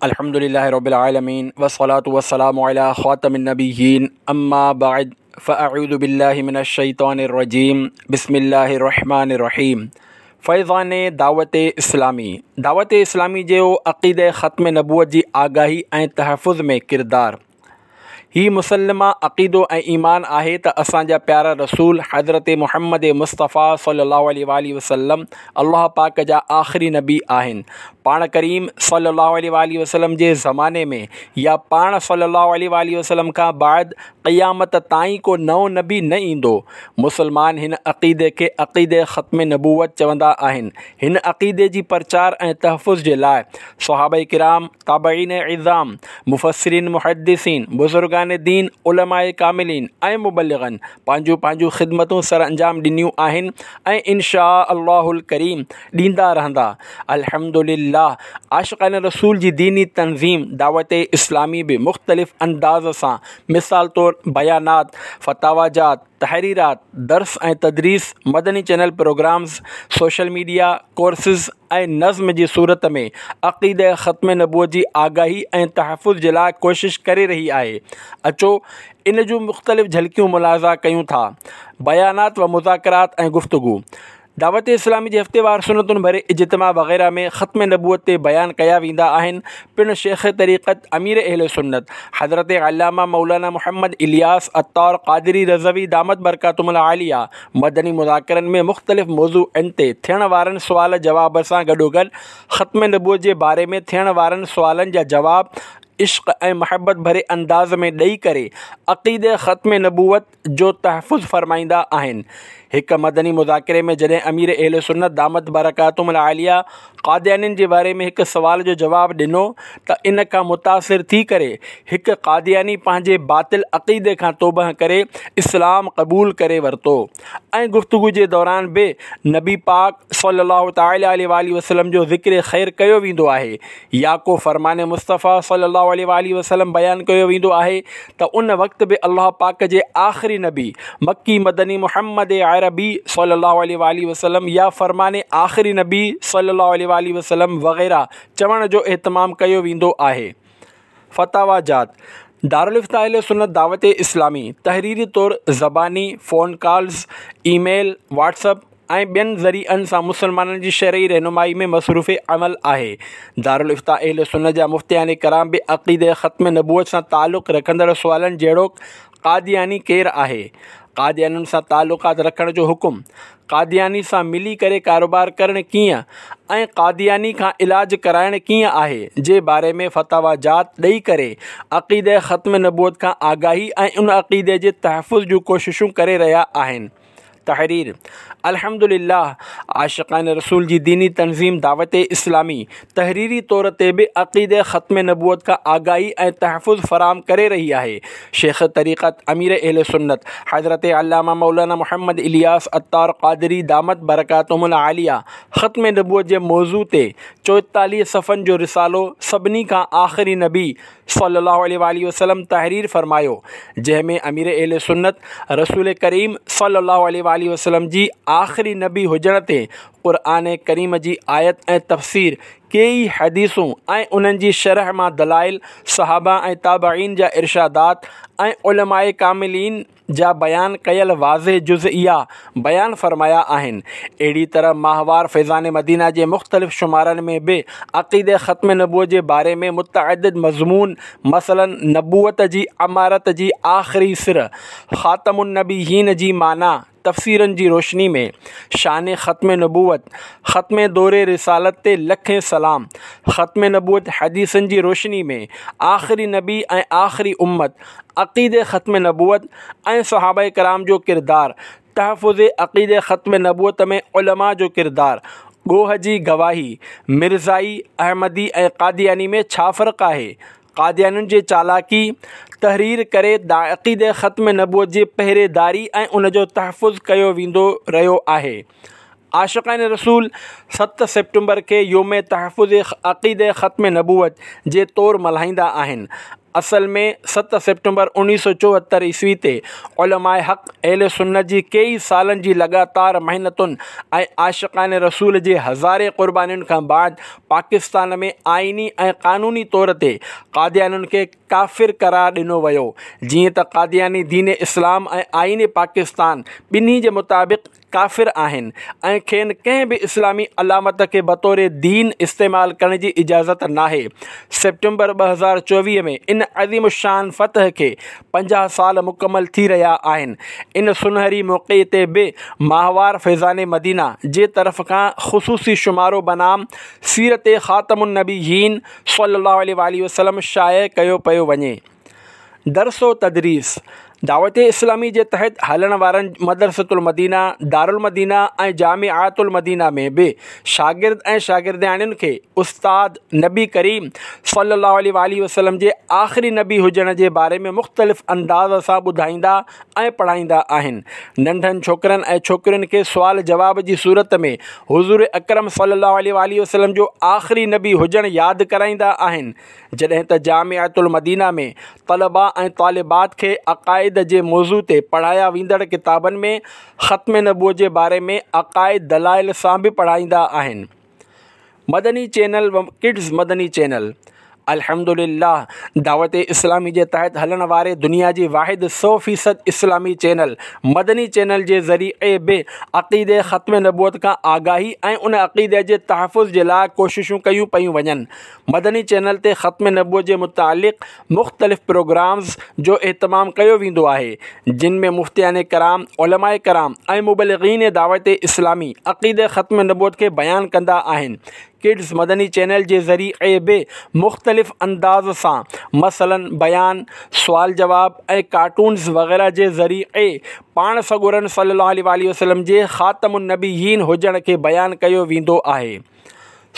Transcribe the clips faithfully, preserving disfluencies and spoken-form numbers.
अल्हम्दुलिल्लाहि रब्बिल आलमीन वस्सलातु वस्सलामु अला ख़ातमिन नबिय्यीन अम्मा बाद फ़अऊज़ु बिल्लाहि मिनश शैतानिर रजीम बिस्मिल्लाहिर रहमानिर रहीम। फैज़ान दावत इस्लामी दावत इस्लामी जो अक़ीदे ख़त्म नबूवत जी आगाही ऐं तहफ़ुज़ में किरदार। ही मुसलमा अक़ीदो ऐं ईमान आहे त असांजा प्यारा रसूल हज़रत मुहम्मद मुस्तफ़ा सल्लल्लाहु अलैहि वसल्लम अल्लाह पाक जा आख़िरी नबी आहिनि। पाण करीम सल्लल्लाहु अलैहि वसल्लम जे ज़माने में या पाण सल्लल्लाहु अलैहि वसल्लम खां बाद क़यामत ताईं को नओं नबी न ईंदो। मुसलमान हिन अक़ीदे खे अक़ीदे ख़त्म नबूवत चवंदा आहिनि। हिन अक़ीदे जी प्रचार ऐं तहफ़ुज़ जे लाइ सहाबा किराम, ताबईन इज़ाम, मुफस्सिरीन, मुहद्दिसीन, बुज़ुर्गान दीन, उलमाए कामिलीन ऐं मुबल्लिगनि पंहिंजूं पंहिंजूं ख़िदमतूं सर अंजाम ॾिनियूं आहिनि ऐं इनशा अल्लाहुल करीम ॾींदा रहंदा। अल्हम्दुलिल्लाह आशिक़ान रसूल जी दीनी तंज़ीम दावत इस्लामी बि मुख़्तलिफ़ अंदाज़ सां मिसाल तौर बयानात, फतावाजात, तहरीरात, दर्स ऐं तदरीस, मदनी channel programmes, social media courses ऐं नज़्म जी सूरत में अक़ीदे ख़त्म नबूवत जी आगाही ऐं तहफ़ुज़ जे लाइ कोशिश करे रही आहे। अचो इन जूं मुख़्तलिफ़ झलकियूं मुलाज़ा कयूं था। बयानात व मुज़ाकरात ऐं गुफ्तगू। दावत इस्लामी जे हफ़्तेवार सुनतुनि भरे इज्तिमा वग़ैरह में ख़त्म नबूवत ते बयान कया वेंदा आहिनि। पिणु शेख तरीक़त अमीर अहल सुन्नत हज़रत अल्लामा मौलाना मोहम्मद इलियास अत्तार क़ादरी रज़वी दामत बरकातुहुमुल आलिया मदनी मुज़ाकरनि में मुख़्तलिफ़ मौज़ूअनि ते थियण वारनि सुवाल जवाब सां गॾोगॾु ख़त्म नबूवत जे बारे में थियण वारनि सुवालनि जा जवाब इश्क़ ऐं मोहब्बत भरे अंदाज़ में ॾेई करे अक़ीदे ख़त्म नबूवत जो तहफ़ुज़ फ़रमाईंदा आहिनि। हिकु मदनी मुज़ाकिरे में जॾहिं अमीर अहल सुन्नत दामत बरकातुहुमुल आलिया क़ादियानियुनि जे बारे में हिकु सवाल जो जवाबु ॾिनो त इन खां मुतासिर थी करे हिकु क़ादियानी पंहिंजे बातिल अक़ीदे खां तौबा करे इस्लाम क़बूल करे वरितो ऐं गुफ्तगू जे दौरान बि नबी पाक सल्लल्लाहु तआला अलैहि वसल्लम जो ज़िक्र ख़ैर कयो वेंदो आहे या को फरमान मुस्तफ़ा सल्लल्लाहु अलैहि वसल्लम बयान कयो वेंदो आहे त उन वक़्तु बि अल्लाह पाक जे आख़िरी नबी मक्की मदनी मुहम्मद अरबी सल्लल्लाहु अलैहि वसल्लम या फरमान आख़िरी नबी सल्लल्लाहु अलैहि वसल्लम वग़ैरह चवण जो एहतमाम कयो वेंदो आहे। फतावाजात। दारुल इफ्ता अहले सुन्नत दावत इस्लामी तहरीरी तौर ज़बानी, फ़ोन कॉल्स, ईमेल, व्हाट्सअप ऐं ॿियनि ज़रीअनि सां मुसलमाननि जी शरई रहनुमाई में मसरूफ़ अमल आहे। दारुल इफ्ता अहले सुन्नत जा मुफ्तियान कराम बि अक़ीदे ख़त्म नबूवत सां तालुक़ रखंदड़ सुवालनि जहिड़ोक क़ादियानी केरु आहे, क़ादियानियुनि सां तालुक़ात रखण जो हुकुम, क़ादियानी सां मिली करे कारोबार करणु कीअं ऐं क़ादियानी खां इलाज कराइणु कीअं आहे जे बारे में फतावाजात ॾेई करे अक़ीदे ख़त्म नबूवत खां आगाही ऐं उन अक़ीदे जे तहफ़ुज़ जूं कोशिशूं करे रहिया आहिनि। तहरीर। अल्हम्दुलिल्लाह आशिक़ान रसूल जी दीनी तंज़ीम दावत इस्लामी तहरीरी तौर ते बि अक़ीदे ख़त्म नबूवत खां आगाही ऐं तहफ़ुज़ फराहम करे रही आहे। शेख तरीक़त अमीर अहल सुन्नत हज़रत अल्लामा मौलाना मोहम्मद इलियास अत्तार क़ादरी दामत बरकातुहुमुल आलिया ख़त्म नबूवत जे मौज़ू ते चोएतालीह सफ़नि जो रिसालो सभिनी खां आख़िरी नबी सल्लल्लाहु अलैहि वसल्लम तहरीर फ़रमायो, जंहिं में अमीर अहल सुन्नत रसूल करीम सल्लल्लाहु अलैहि वसल्लम जी आख़िरी नबी हुजण ते क़ुरान करीम जी आयत ऐं तफ़सीर, केई हदीसूं ऐं उन्हनि जी शरह मां दलाइल, सहाबा ऐं ताबईन जा इरशादात ऐं उलमाए कामिलीन जा बयान कयल वाज़े जुज़इया बयान फ़रमाया आहिनि। अहिड़ी तरह माहवार फैज़ान मदीना जे मुख़्तलिफ़ शुमारनि में बि अक़ीदे ख़त्म नबूवत जे बारे में मुतअद्दिद मज़मून मसलन नबूवत जी अमारत जी आख़िरी सिर, ख़ातमुन नबीयीन जी माना तफ़सीरनि जी रोशनी में, शान ख़त्म नबूवत, ख़त्म दौरे रिसालत ते लखें सलाम, ख़त्म नबूवत हदीसनि जी रोशनी में, आख़िरी नबी ऐं आख़िरी उम्मत, अक़ीदे ख़त्म नबूवत ऐं सहाबा कराम जो किरदार, तहफ़ुज़ अक़ीदे ख़त्म नबूवत में उलमा जो किरदार, ॻोह जी गवाही, मिर्ज़ाई, अहमदी ऐं क़ादियानी में छा फ़र्क़ु आहे, क़ादियानियुनि जी चालाकी तहरीर करे अक़ीदे ख़त्म नबूवत जी पहरेदारी ऐं उन जो तहफ़ुज़ कयो वेंदो रहियो आहे। عاشقان رسول ست سيپٽمبر کي يوم تحفظ عقيده ختم نبوت جي طور ملهائيندا آهن. اصل ۾ ست سيپٽمبر اڻويهه سؤ چوهتر عيسوي تي علماء حق اهل سنت جي ڪيئي سالن جي لڳاتار محنتن ۽ عاشقان رسول جي هزارين قربانين کان بعد پاڪستان ۾ آئيني ۽ قانوني طور تي قاديانين کي ڪافر قرار ڏنو ويو. جيئن ته قادياني دين اسلام ۽ آئين پاڪستان ٻنهي جي مطابق ڪافر آهن ۽ کين ڪنهن به اسلامي علامت کي بطور دين استعمال ڪرڻ جي اجازت ناهي. سيپٽمبر ٻه هزار چوويهه ۾ ان عظيم الشان فتح کي پنجاهه سال مڪمل ٿي رهيا آهن. ان سنهري موقعي تي به ماهوار فيضان مدينه جي طرف کان خصوصي شمارو بنام سيرت خاتم النبيين صلي الله عليه واٰله وسلم شايع ڪيو پيو وڃي. درس و تدريس دعوت اسلامي جي تحت هلڻ وارن مدرسة المدينه، دارالمدينه ۽ جامعات المدينه ۾ به شاگرد ۽ شاگردياڻين کي استاد نبي ڪريم صلي الله عليه واٰله وسلم جي آخري نبي هجڻ جي باري ۾ مختلف انداز سان ٻڌائيندا ۽ پڙهائيندا آهن. ننڍن ڇوڪرن ۽ ڇوڪرين کي سوال جواب جي صورت ۾ حضور اڪرم صلي الله عليه واٰله وسلم جو آخري نبي هجڻ ياد ڪرائيندا آهن. جڏهن ته جامعة المدينه ۾ طلبا ۽ طالبات کي عقائد جي موضوع تي پڙهايا ويندڙ ڪتابن ۾ ختم نبوت جي باري ۾ عقائد دلائل سان به پڙهائيندا آهن. مدني چينل و ڪڊز مدني چينل الحمدلله دعوت اسلامي جي تحت هلڻ واري دنيا جي واحد سؤ فيصد اسلامي چينل مدني چينل جي ذريعي به عقيدي ختم نبوت کان آگاهي ۽ ان عقيدي جي تحفظ جي لاء ڪوششون ڪيون پيون وڃن. مدني چينل تي ختم نبوت جي متعلق مختلف پروگرامز جو اهتمام ڪيو ويندو آهي، جن ۾ مفتيان ڪرام، علماء ڪرام ۽ مبلغين دعوت اسلامي عقيده ختم نبوت کي بيان ڪندا آهن. ڪڊز مدني چينل جي ذريعي به مختلف انداز سان مثلاً بيان، سوال جواب ۽ ڪارٽونز وغيره جي ذريعي پاڻ سڳورن صلي الله عليه واٰله وسلم جي خاتم النبيين هجڻ کي بيان ڪيو ويندو آهي.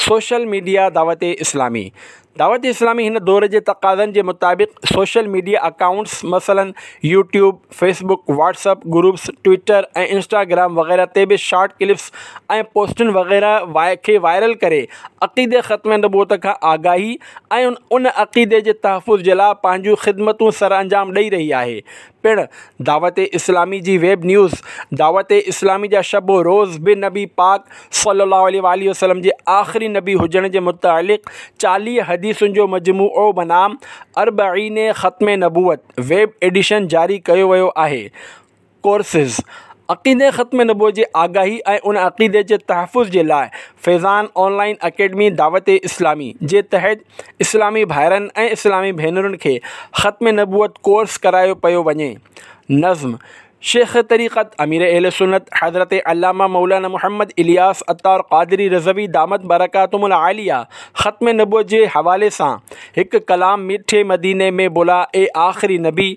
سوشل ميڊيا دعوت اسلامي دعوت اسلامي هن دور جي تقاضن جي مطابق سوشل ميڊيا اڪائونٽس مثلاً YouTube, Facebook, WhatsApp groups, Twitter ۽ Instagram وغيره تي به شارٽ ڪلپس ۽ پوسٽن وغيره کي وائرل ڪري عقيدي ختم نبوت کان آگاهي ۽ ان عقيدي جي تحفظ جي لاء پنهنجون خدمتون سرانجام ڏئي رهي آهي. پڻ دعوت اسلامي جي ويب نيوز دعوت اسلامي جا شب و روز به نبي پاڪ صلي الله عليه واٰله وسلم جي آخري نبي هجڻ جي متعلق چاليهه حديثن جو مجموعو بنام اربعين ختم نبوت ويب ايڊيشن جاري ڪيو ويو آهي. ڪورسز عقيدي ختم نبوت جي آگاهي ۽ ان عقيدي جي تحفظ جي لاء فيضان آن لائن اڪيڊمي دعوت اسلامي جي تحت اسلامي ڀائرن ۽ اسلامي ڀينرن کي ختم نبوت ڪورس ڪرايو پيو وڃي. نظم شيخ طريقت امير اهل سنت حضرت علامه مولانا محمد الياس عطار قادري رضوي دامت برڪاتهم العاليه ختم نبوت جي حوالي سان هڪ ڪلام مٺي مديني ۾ بلا اي آخري نبي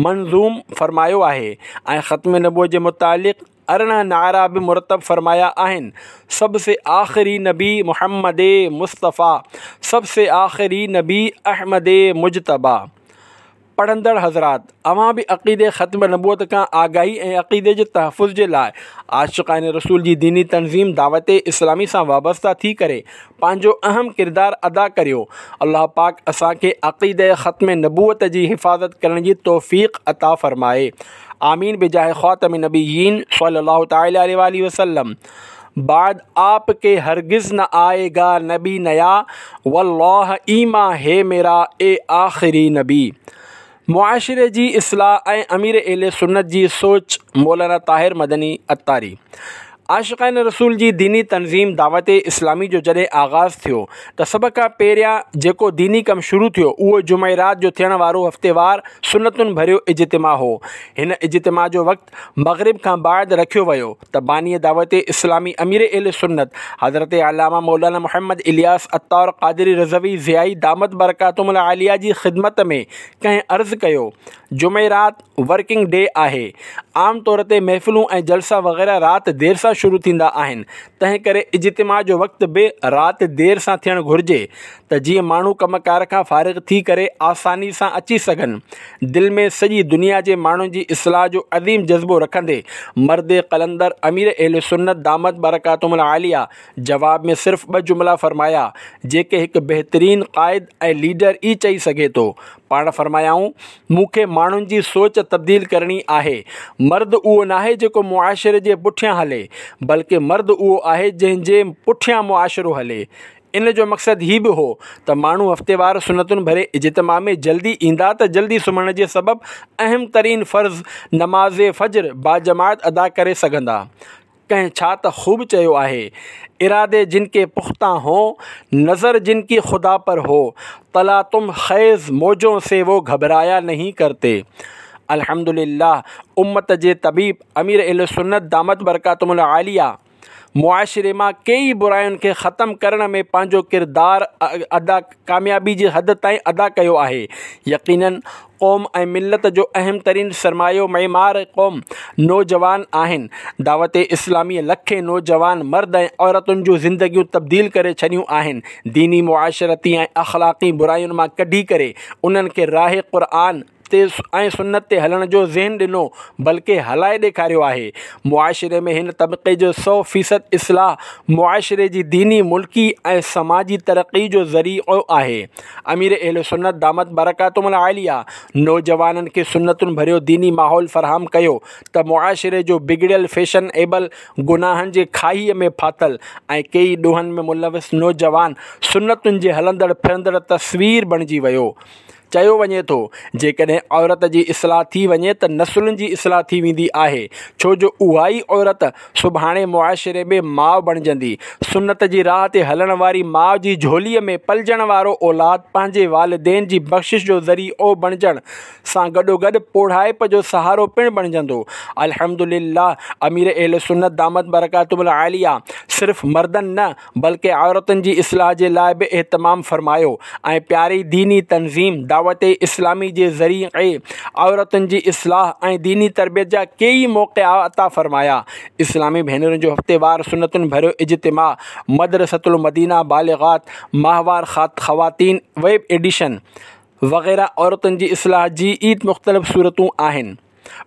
منظوم فرمايو آهي ۽ ختم نبوت جي متعلق ارڙهن نعرا به مرتب فرمايا آهن. سب سي آخري نبي محمد مصطفيٰ سب سي آخري نبي احمد مجتبيٰ. پڙهندڙ حضرات! اوهان به عقيدي ختم نبوت کان آگاهي ۽ عقيدي جي تحفظ جي لاء عاشقان رسول جي ديني تنظيم دعوت اسلامي سان وابسته ٿي ڪري پنهنجو اهم ڪردار ادا ڪريو. الله پاڪ اسان کي عقيده ختم نبوت جي حفاظت ڪرڻ جي توفيق عطا فرمائي. آمين بجاه خاتم النبيين صلي الله تعالي عليه واٰله وسلم. بعد آپ ڪي هرگز نه آئي گا نبي نيا والله ايمان هي ميرا اي آخري نبي. معاشري جي اصلاح ۽ امير اهل سنت جي سوچ مولانا طاهر مدني عطاري عاشقان رسول جي ديني تنظيم دعوت اسلامي جو جڏهن آغاز ٿيو ته سڀ کان پهريان جيڪو ديني ڪم شروع ٿيو اهو جمعرات جو ٿيڻ وارو هفتيوار سنتن ڀريو اجتماع هو. هن اجتماع جو وقت مغرب کان بعد رکيو ويو ته باني دعوت اسلامي امير اهل سنت حضرت علامه مولانا محمد الياس عطار قادري رضوي ضيائي دامت برڪاتهم العاليه جي خدمت ۾ ڪنهن عرض ڪيو جمعرات ورڪنگ ڊي آهي عام طور تي محفلون ۽ جلسا وغيره رات دير سان سان شروع ٿيندا آهن، تنهن ڪري اجتماع جو وقت به رات دير سان ٿيڻ گهرجي ته جيئن ماڻهو ڪم ڪار کان فارغ ٿي ڪري آساني سان اچي سگهن. دل ۾ سڄي دنيا جي ماڻهن جي اصلاح جو عظيم جذبو رکندي مرد قلندر امير اهل سنت دامت برڪاتهم العاليه جواب ۾ صرف ٻه جملا فرمايا، جيڪي هڪ بهترين قائد ۽ ليڊر ئي چئي سگهي ٿو. پاڻ فرمايائون، مون کي ماڻهن جي سوچ تبديل ڪرڻي آهي. مرد اهو ناهي جيڪو معاشري جي پٺيان هلي، بلڪه مرد اهو آهي جنهن جي پٺيان معاشرو هلي. ان جو مقصد هي به هو ته ماڻهو هفتيوار سنتن ڀري اجتماع ۾ جلدي ايندا ته جلدي سمهڻ جي سبب اهم ترين فرض نماز فجر باجماعت ادا ڪري سگهندا. ڪنهن ڇا ته خوب چيو آهي، ارادي جن ڪي پختا هون، نظر جن ڪي خدا پر هو، تلاطم خيز موجون سي وو گهبرايا نهين ڪرتي. الحمدلله امت جي طبيب امير اهل سنت دامت برڪاتهم العاليه معاشري مان ڪيئي براين کي ختم ڪرڻ ۾ پنهنجو ڪردار ادا ڪاميابي جي حد تائين ادا ڪيو آهي. يقينن قوم ۽ ملت جو اهم ترين سرمايو معمار قوم نوجوان آهن. دعوت اسلامي لکين نوجوان مرد ۽ عورتن جون زندگيون تبديل ڪري ڇڏيون آهن. ديني، معاشرتي ۽ اخلاقي براين مان ڪڍي ڪري انهن کي راهه قرآن تي ۽ سنت تي هلڻ جو ذهن ڏنو بلڪه هلائي ڏيکاريو آهي. معاشري ۾ هن طبقي جو سؤ فيصد اصلاح معاشري جي ديني، ملڪي ۽ سماجي ترقي جو ذريعو آهي. امير اهل سنت دامت برڪاتهم العاليه نوجوانن کي سنتن ڀريو ديني ماحول فراهم ڪيو ته معاشري جو بگڙيل فيشن ايبل گناهن جي کاهيء ۾ ڦاٿل ۽ ڪيئي ڏوهن ۾ ملوث نوجوان سنتن جي هلندڙ ڦرندڙ تصوير بڻجي ويو. چيو وڃي ٿو، جيڪڏهن عورت جي اصلاح ٿي وڃي ته نسلن جي اصلاح ٿي ويندي آهي، ڇو جو اها ئي عورت سڀاڻي معاشري ۾ ماء بڻجندي. سنت جي راهه تي هلڻ واري ماء جي جهوليء ۾ پلجڻ وارو اولاد پنهنجي والدين جي بخشش جو ذريعو بڻجڻ سان گڏوگڏ پوڙهائپ جو سهارو پڻ بڻجندو. الحمدلله امير اهل سنت دامت برڪاتهم العاليه صرف مردن نه بلڪه عورتن جي اصلاح جي لاء به اهتمام فرمايو ۽ پياري ديني تنظيم دعوت اسلامي جي ذريعي عورتن جي اصلاح ۽ ديني تربيت جا ڪيئي موقعا عطا فرمايا. اسلامي ڀينرن جو هفتيوار سنتن ڀريو اجتماع مدرسة المدينه بالغات، ماهوار خواتين ويب ايڊيشن وغيره عورتن جي اصلاح جي ئي مختلف صورتون آهن.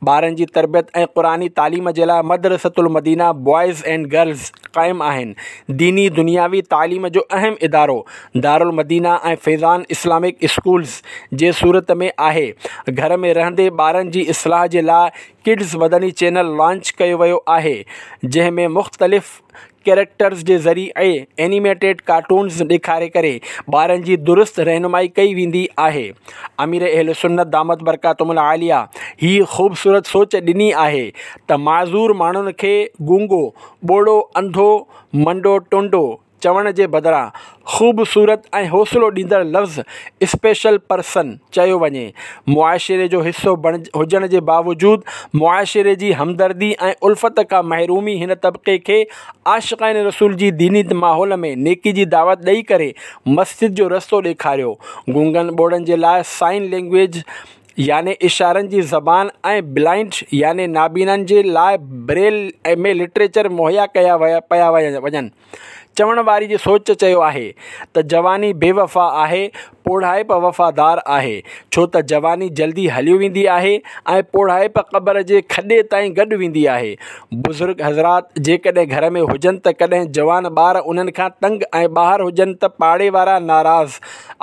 ٻارن جي تربيت ۽ قرآني تعليم جي لاء مدرسة المدينه بوائز اينڊ گرلز قائم آهن. ديني دنياوي تعليم جو اهم ادارو دارالمدينه ۽ فيضان اسلامڪ اسڪولز جي صورت ۾ آهي. گهر ۾ رهندي ٻارن جي اصلاح جي لاء ڪڊز مدني چينل لانچ ڪيو ويو آهي، جنهن ۾ مختلف ڪيريڪٽرز جي ذريعي اينيميٽيڊ ڪارٽونز ڏيکاري ڪري ٻارن جي درست رهنمائي ڪئي ويندي آهي. امير اهل سنت دامت برڪاتهم العاليه هيء خوبصورت سوچ ڏني آهي ته معذور ماڻهن کي گونگو، ٻوڙو، انڌو، منڊو، ٽنڊو چوڻ جي بدران خوبصورت ۽ حوصلو ڏيندڙ لفظ اسپيشل پرسن چيو وڃي. معاشري جو حصو هجڻ جي باوجود معاشري جي همدردي ۽ الفت کان محرومي هن طبقي کي عاشقان رسول جي ديني ماحول ۾ نيڪي جي دعوت ڏئي ڪري مسجد جو رستو ڏيکاريو. گونگن ٻوڙن جي لاء سائن لينگويج يعني اشارن جي زبان ۽ بلائنڊ يعني نابينائن جي لاء بريل ۾ لٽريچر مهيا ڪيا پيا وڃن. چوڻ واري جي سوچ چيو آهي ته جواني بي وفا آهي، پوڙهائپ وفادار آهي، ڇو ته جواني جلدي هليو ويندي آهي ۽ پوڙهائپ قبر جي کڏي تائين گڏ ويندي آهي. بزرگ حضرات جيڪڏهن گهر ۾ هجن ته ڪڏهن جوان ٻار انهن کان تنگ ۽ ٻاهر هجن ته پاڙي وارا ناراض.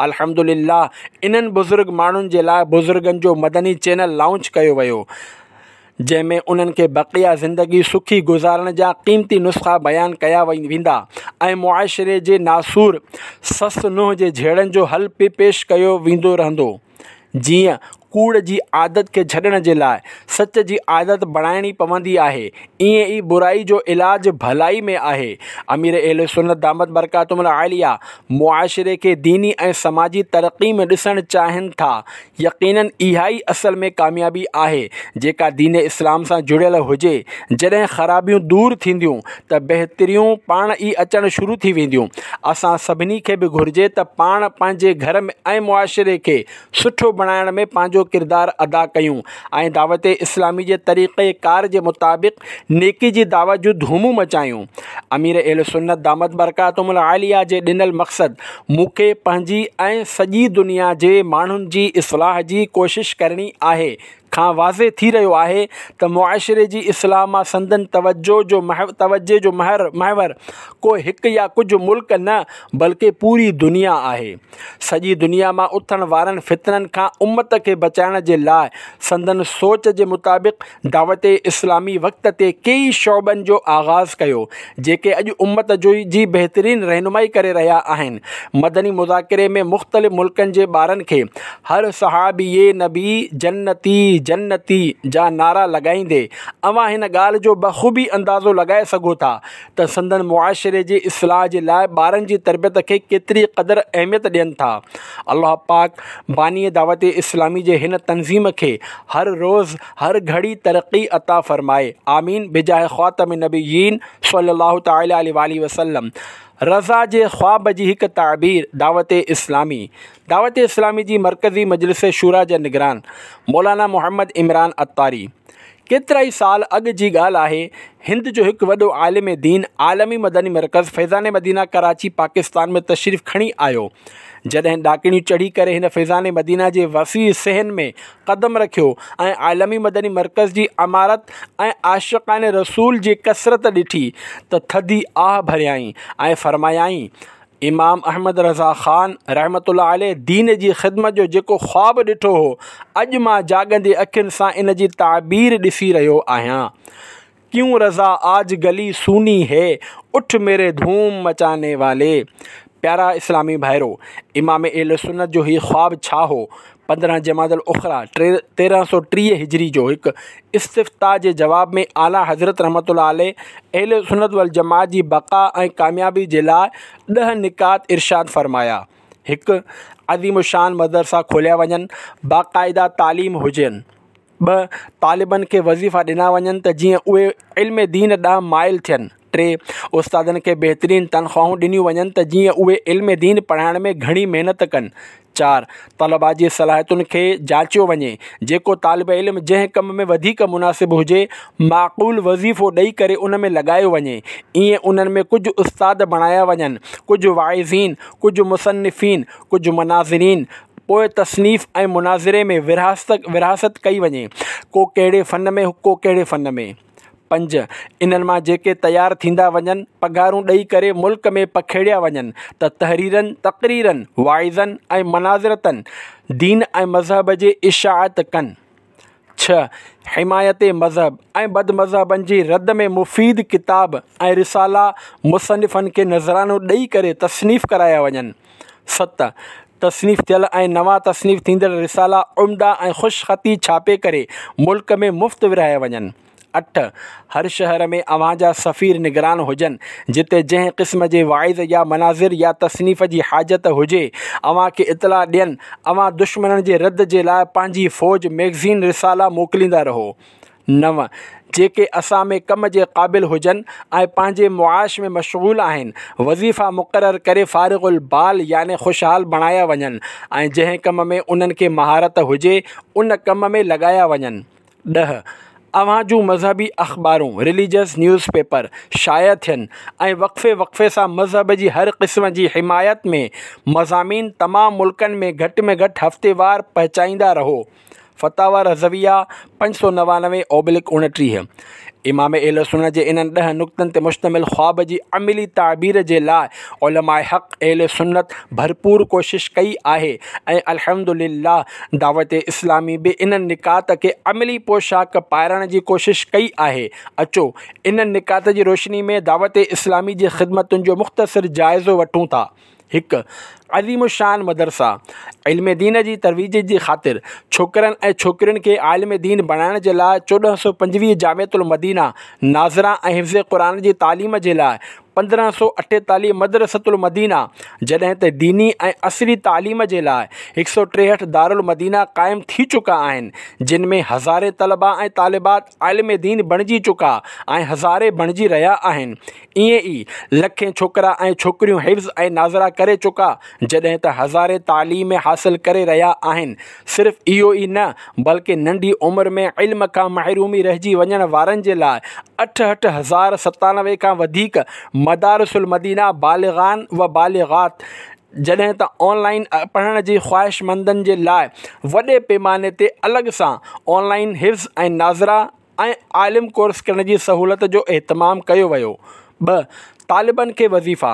الحمدلله انهن بزرگ ماڻهن جي لاء بزرگن جو مدني چينل لانچ ڪيو ويو. جنهن ۾ انهن کي بقيه زندگي سکي گذارڻ جا قيمتي نسخا بيان ڪيا ويندا ۽ معاشري جي ناسور سس نونهن جي جهيڙن جو حل به پيش ڪيو ويندو رهندو. جيئن ڪوڙ جي عادت کي ڇڏڻ جي لاء سچ جي عادت بڻائڻي پوندي آهي، ائين ئي برائي جو علاج ڀلائي ۾ آهي. امير اهل سنت دامت برڪاتهم العاليه معاشري کي ديني ۽ سماجي ترقي ۾ ڏسڻ چاهين ٿا. يقينن اها ئي اصل ۾ ڪاميابي آهي جيڪا دين اسلام سان جڙيل هجي. جڏهن خرابيون دور ٿينديون ته بهتريون پاڻ ئي اچڻ شروع ٿي وينديون. اسان سڀني کي به گهرجي ته پاڻ پنهنجي گهر ۽ معاشري کي سٺو بڻائڻ ۾ پنهنجو ڪردار ادا ڪيون ۽ دعوت اسلامي جي طريقي ڪار جي مطابق نيڪي جي دعوت جون ڌومون مچايون. امير اهل سنت دامت برڪاتهم العاليه جي ڏنل مقصد مون کي پنهنجي ۽ سڄي دنيا جي ماڻهن جي اصلاح جي ڪوشش ڪرڻي آهي کان واضح ٿي رهيو آهي ته معاشري جي اصلاح مان سندن توجه جو توجه جو محور ڪو هڪ يا ڪجهه ملڪ نه بلڪه پوري دنيا آهي. سڄي دنيا مان اٿڻ وارن فتنن کان امت کي بچائڻ جي لاء سندن سوچ جي مطابق دعوت اسلامي وقت تي ڪيئي شعبن جو آغاز ڪيو، جيڪي اڄ امت جي بهترين رهنمائي ڪري رهيا آهن. مدني مذاڪري ۾ مختلف ملڪن جي ٻارن کي هر صحابي نبي جنتي جنتي جا نعرا لڳائيندي اوهان هن ڳالهه جو بخوبي اندازو لڳائي سگهو ٿا ته سندن معاشري جي اصلاح جي لاء ٻارن جي تربيت کي ڪيتري قدر اهميت ڏين ٿا. الله پاڪ باني دعوت اسلامي جي هن تنظيم کي هر روز هر گهڙي ترقي عطا فرمائي، آمين بجاه خاتم النبيين صلي الله تعالٰي عليه واٰله وسلم. رضا جي خواب جي هڪ تعبير دعوت اسلامي. دعوت اسلامي جي مرڪزي مجلس شوريٰ جا نگران مولانا محمد عمران عطاري. ڪيترائي سال اڳ جي ڳالهه آهي، هند جو هڪ وڏو عالم دين عالمي مدني مرڪز فيضان مدينه ڪراچي پاڪستان ۾ تشريف کڻي آيو. جڏهن ڏاڪڻيون چڙهي ڪري هن فيضان مدينه جي وسيع صحن ۾ قدم رکيو ۽ عالمي مدني مرڪز جي عمارت ۽ عاشقان رسول جي ڪثرت ڏٺي ته ٿڌي آهه ڀريائين ۽ فرمايائين، امام احمد رضا خان رحمة الله عليه دين جي خدمت جو جيڪو خواب ڏٺو هو، اڄ مان جاڳندي اکين سان ان جي تعبير ڏسي رهيو آهيان. ڪيون رضا آج گلي سوني هي، اٺ ميري ڌوم مچاني والي. پيارا اسلامي ڀائرو! امام اهل سنت جو هي خواب ڇا هو؟ پندرهن جمادي الاخريٰ تيرهن سؤ ٽيهه هجري جو هڪ استفتاء جي جواب ۾ اعليٰ حضرت رحمة الله عليه اهل سنت والجماعت جي بقا ۽ ڪاميابي جي لاء ڏهه نڪات ارشاد فرمايا. هڪ. عظيم الشان مدرسا کوليا وڃن، باقاعده تعليم هجين. ٻه. طالبن کي وظيفا ڏنا وڃن ته جيئن اهي علم دين ڏانهن مائل ٿين. ٽي. استادن کي بهترين تنخواهون ڏنيون وڃن ته جيئن اهي علم دين پڙهائڻ ۾ گهڻي محنت ڪن. چار. طلبا جي صلاحيتن کي جاچيو وڃي، جيڪو طالب علم جنهن ڪم ۾ وڌيڪ مناسب هجي، معقول وظيفو ڏئي ڪري ان ۾ لڳايو وڃي. ائين انهن ۾ ڪجهه استاد بڻايا وڃن، ڪجهه واعظين، ڪجهه مصنفين، ڪجهه مناظرين، پوء تصنيف ۽ مناظري ۾ ورهاست ورهاست ڪئي وڃي، ڪو ڪهڙي فن ۾ ڪو ڪهڙي فن ۾. پنج. انهن مان جيڪي تيار ٿيندا وڃن، پگهارون ڏئي ڪري ملڪ ۾ پکيڙيا وڃن ته تحريرن، تقريرن، واعظن ۽ مناظرتن دين ۽ مذهب جي اشاعت ڪن. ڇهه. حمايت مذهب ۽ بدمذهبن جي رد ۾ مفيد ڪتاب ۽ رسالا مصنفن کي نذرانو ڏئي ڪري تصنيف ڪرايا وڃن. ست. تصنيف ٿيل ۽ نوان تصنيف ٿيندڙ رسالا عمده ۽ خوشخطي ڇاپي ڪري ملڪ ۾ مفت ورهايا وڃن. اٺ. هر شهر ۾ اوهان جا سفير نگران هجن، جتي جنهن قسم جي واعظ يا مناظر يا تصنيف جي حاجت هجي، اوهان کي اطلاع ڏين. اوهان دشمنن جي رد جي لاء پنهنجي فوج، مئگزين، رسالا موڪليندا رهو. نو. جيڪي اسان ۾ ڪم جي قابل هجن ۽ پنهنجي معاش ۾ مشغول آهن، وظيفا مقرر ڪري فارغ البال يعني خوشحال بڻايا وڃن ۽ جنهن ڪم ۾ انهن کي مهارت هجي، ان ڪم ۾ لڳايا وڃن. ڏهه. اوهان جون مذهبي اخبارون، Religious News Paper، شايع ٿين ۽ وقفي وقفي سان مذهب جي هر قسم جي حمايت ۾ مضامين تمام ملڪن ۾ گهٽ ۾ گهٽ هفتيوار پهچائيندا رهو. فتاويٰ رضويه پنج سؤ نوانوي اوبلڪ اڻٽيهه. امام اهل سنت جي انهن ڏهه نڪتن تي مشتمل خواب جي عملي تعبير جي لاء علماء حق اهل سنت ڀرپور ڪوشش ڪئي آهي ۽ الحمد لله دعوت اسلامي به انهن نڪات کي عملي پوشاڪ پائرڻ جي ڪوشش ڪئي آهي. اچو انهن نڪات جي روشني ۾ دعوت اسلامي جي خدمتن جو مختصر جائزو وٺون ٿا. هڪ. عظيم الشان مدرسا، علم دين جي ترويج جي خاطر ڇوڪرن ۽ ڇوڪرين کي عالم دين بڻائڻ جي لاء چوڏهن سؤ پنجويهه جامعة المدينه ناظره ۽ حفظ قرآن جي تعليم جي لاء پندرهن سؤ اٺيتاليهه مدرسة المدينه، جڏهن ته ديني ۽ عصري تعليم جي لاء هڪ سؤ ٽيهٺ دارالمدينه قائم ٿي چڪا آهن، جن ۾ هزارين طلبا ۽ طالبات عالم دين بڻجي چڪا ۽ هزارين بڻجي رهيا آهن. ائين ئي لکين ڇوڪرا ۽ ڇوڪريون حفظ ۽ ناظره ڪري چڪا، جڏهن ته هزارين تعليم حاصل ڪري رهيا آهن. صرف اهو ئي نه بلڪه ننڍي عمر ۾ علم کان محرومي رهجي وڃڻ وارن جي لاء اٺهٺ هزار ستانوي کان وڌيڪ مدارس المدينه بالغان و بالغات، جڏهن ته آن لائن پڙهڻ جي خواهشمندن جي لاء وڏي پيماني تي الڳ سان آن لائن حفظ ۽ ناظره ۽ عالم ڪورس ڪرڻ جي سهولت جو اهتمام ڪيو ويو. ٻه. طالبن کي وظيفا،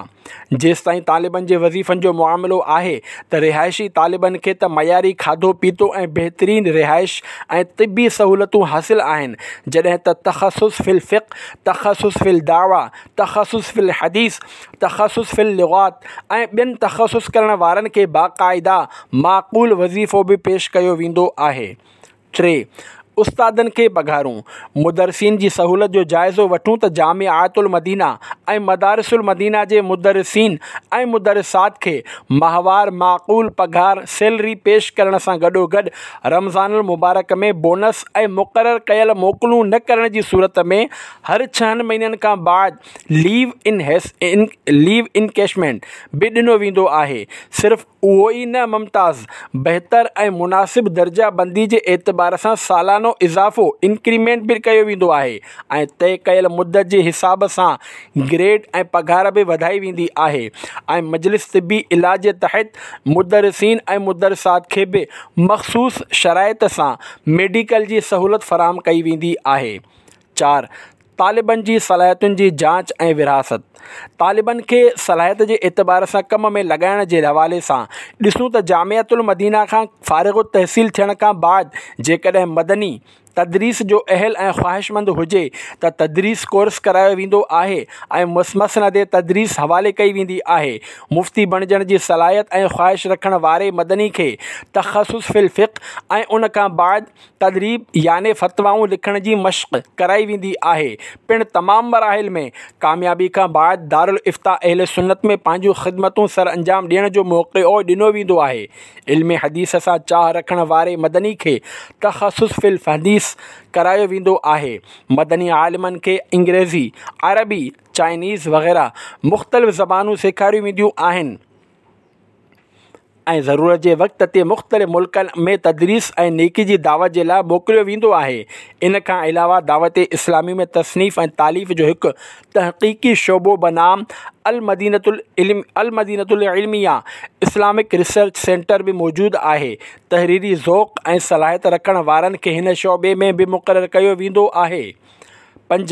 جيستائين طالبن جي وظيفن جو معاملو آهي ته رهائشي طالبن کي ته معياري کاڌو پيتو ۽ بهترين رهائش ۽ طبي سهولتون حاصل آهن، جڏهن ته تخصص في الفقه، تخصص في الدعوه، تخصص في الحديث، تخصص في اللغات ۽ ٻين تخصص ڪرڻ وارن کي باقاعده معقول وظيفو به پيش ڪيو ويندو آهي. ٽي. استادن کي پگهارون، مدرسين جي سهولت جو جائزو وٺون ته جامعات المدينه ۽ مدارس المدينه جي مدرسين ۽ مدرسات کي ماهوار معقول پگهار، سيلري، پيش ڪرڻ سان گڏوگڏ رمضان المبارڪ ۾ بونس ۽ مقرر ڪيل موڪلون نه ڪرڻ جي صورت ۾ هر ڇهن مهينن کان بعد ليو ان ليو انڪيشمينٽ به ڏنو ويندو آهي. صرف اهو ئي نه ممتاز، بهتر ۽ مناسب درجه بندي جي اعتبار سان سالانو اضافو، Increment، به ڪيو ويندو آهي ۽ طئي ڪيل مدت جي حساب سان گريڊ ۽ پگهار به وڌائي ويندي آهي ۽ مجلس طبي علاج جي تحت مدرسين ۽ مدرسات کي به مخصوص شرائط سان ميڊيڪل جي سهولت فراهم ڪئي ويندي آهي. چار. طالبن جي صلاحيتن جي جاچ ۽ ورهاست، طالبن کي صلاحيت جي اعتبار سان ڪم ۾ لڳائڻ جي حوالي سان ڏسون ته جامعة المدينه کان فارغ التحصيل ٿيڻ کان بعد جيڪڏهن مدني تدريس جو اهل ۽ خواهشمند هجي ته تدريس ڪورس ڪرايو ويندو آهي ۽ مسند تدريس حوالي ڪئي ويندي آهي. مفتي بڻجڻ جي صلاحيت ۽ خواهش رکڻ واري مدني کي تخصص في الفقه ۽ ان کان بعد تدريب يعني فتوائون لکڻ جي مشق ڪرائي ويندي آهي. پڻ تمام مراحل ۾ ڪاميابي کان بعد دارالافتاء اهل سنت ۾ پنهنجون خدمتون سرانجام ڏيڻ جو موقعو ڏنو ويندو آهي. علم حديث سان چاهه رکڻ واري مدني کي تخصص في الحديث ڪرايو ويندو آهي. مدني عالمن کي انگريزي، عربي، چائنيز وغيره مختلف زبانون سيکاريون وينديون آهن. ۽ ضرورت جي وقت تي مختلف ملڪن ۾ تدريس ۽ نيڪي جي دعوت جي لاء موڪليو ويندو آهي. ان کان علاوه دعوت اسلامي ۾ تصنيف ۽ تاليف جو هڪ تحقيقي شعبو بنام المدينة المدينة العلميه اسلامڪ ريسرچ سينٽر به موجود آهي. تحريري ذوق ۽ صلاحيت رکڻ وارن کي هن شعبي ۾ به مقرر ڪيو ويندو آهي. پنج،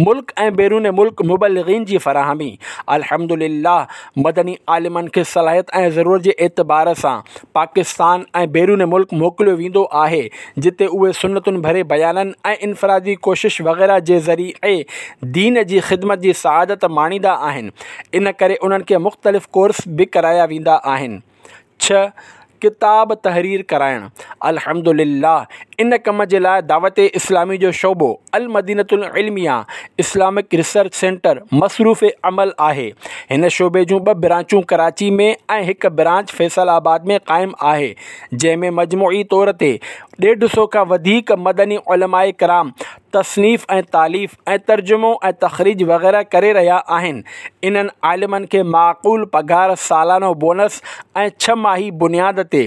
ملڪ ۽ بيرون ملڪ مبلغين جي فراهمي، الحمد لله مدني عالمن کي صلاحيت ۽ ضرورت جي اعتبار سان پاڪستان ۽ بيرون ملڪ موڪليو ويندو آهي جتي اهي سنتن ڀري بيانن ۽ انفرادي ڪوشش وغيره جي ذريعي دين جي خدمت جي سعادت ماڻيندا آهن ان ڪري انهن کي مختلف ڪورس به ڪرايا ويندا آهن. ڇهه، ڪتاب تحرير ڪرائڻ، الحمد لله ان ڪم جي لاء دعوت اسلامي جو شعبو المدينة العلميه اسلامڪ ريسرچ سينٽر مصروف عمل آهي. هن شعبي جون ٻه برانچون ڪراچي ۾ ۽ هڪ برانچ فيصل آباد ۾ قائم آهي جنهن ۾ مجموعي طور تي ڏيڍ سو کان وڌيڪ مدني علماء ڪرام تصنيف ۽ تاليف ۽ ترجمو ۽ تخريج وغيره ڪري رهيا آهن. انهن عالمن کي معقول پگهار، سالانو بونس ۽ ڇهه ماهي بنياد تي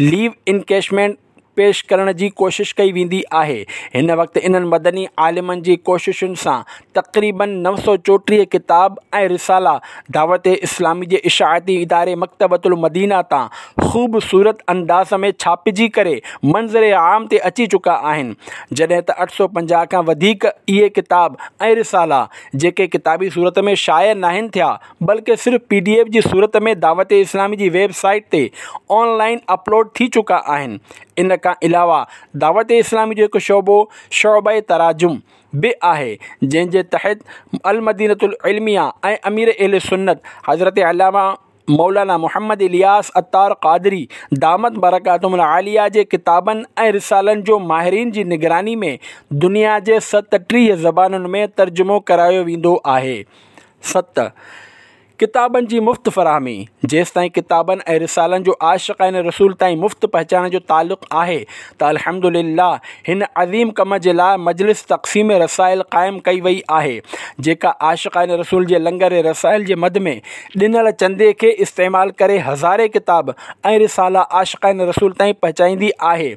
ليو انڪيشمينٽ پيش ڪرڻ جي ڪوشش ڪئي ويندي آهي. هن وقت انهن مدني عالمن جي ڪوششن سان تقريباً نو سؤ چوٽيهه ڪتاب ۽ رسالا دعوت اسلامي جي اشاعتي اداري مڪتبة المدينه تان خوبصورت انداز ۾ ڇاپجي ڪري منظر عام تي اچي چڪا آهن جڏهن ته اٺ سؤ پنجاهه کان وڌيڪ اهي ڪتاب ۽ رسالا جيڪي ڪتابي صورت ۾ شايع ناهن ٿيا بلڪه صرف پي ڊي ايف جي صورت ۾ دعوت اسلامي جي ويب سائيٽ تي آن لائين اپلوڊ ٿي چڪا آهن ان کان علاوه دعوت اسلامي جو هڪ شعبو شعبه تراجم به آهي جنهن جي تحت المدينة العلميه ۽ امير اهل سنت حضرت علامه مولانا محمد الياس عطار قادري دامت برڪاتهم العاليه جي ڪتابن ۽ رسالن جو ماهرين جي نگراني ۾ دنيا جي ستٽيهه زبانن ۾ ترجمو ڪرايو ويندو آهي. ست، ڪتابن جي مفت فراهمي. جيستائين ڪتابن ۽ رسالن جو عاشقان رسول تائين مفت پهچائڻ جو تعلق آهي ته الحمدلله هن عظيم ڪم جي لاء مجلس تقسيم رسائل قائم ڪئي وئي آهي، جيڪا عاشقان رسول جي لنگر رسائل جي مد ۾ ڏنل چندي کي استعمال ڪري هزارين ڪتاب ۽ رسالا عاشقان رسول تائين پهچائيندي آهي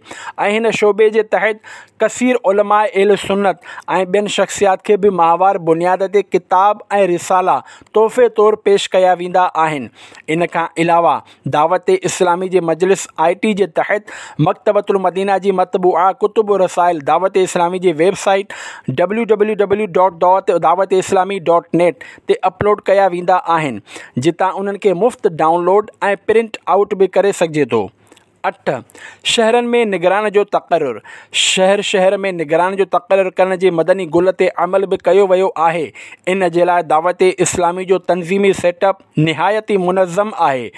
۽ هن شعبي جي تحت ڪثير علماء اهل سنت ۽ ٻين شخصيات کي به ماهوار بنياد تي ڪتاب ۽ رسالا تحفي طور پيش ڪيا ويندا آهن. ان کان علاوه دعوت اسلامي جي مجلس آء ٽي جي تحت مڪتبة المدينه جي مطبوعه ڪتب و رسائل دعوت اسلامي جي web site W W W dot Dawat Islami dot net تي اپلوڊ ڪيا ويندا آهن، جتان انهن کي مفت ڊائونلوڊ ۽ پرنٽ آئوٽ به ڪري سگهجي ٿو. اٺ، شهرن ۾ نگران جو تقرر. شهر شهر ۾ نگران جو تقرر ڪرڻ جي مدني گل تي عمل به ڪيو ويو آهي. ان جي لاء دعوت اسلامي جو تنظيمي سيٽ اپ نهايت ئي منظم آهي.